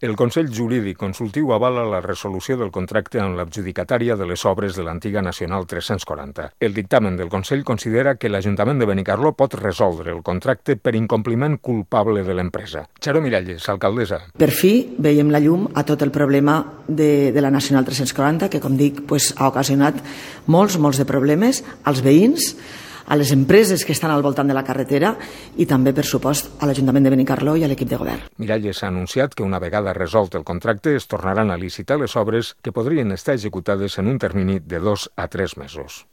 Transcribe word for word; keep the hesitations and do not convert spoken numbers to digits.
El Consell Jurídic Consultiu avala la resolució del contracte amb l'adjudicatària de les obres de l'antiga Nacional tres-cents quaranta. El dictamen del Consell considera que l'Ajuntament de Benicarló pot resoldre el contracte per incompliment culpable de l'empresa. Xaro Miralles, alcaldessa. Per fi veiem la llum a tot el problema de, de la Nacional tres-cents quaranta, que, com dic, pues, ha ocasionat molts, molts de problemes als veïns, a les empreses que estan al voltant de la carretera i també, per supost, a l'Ajuntament de Benicarló i a l'equip de govern. Miralles ha anunciat que una vegada resolt el contracte es tornaran a licitar les obres que podrien estar executades en un termini de dos a tres mesos.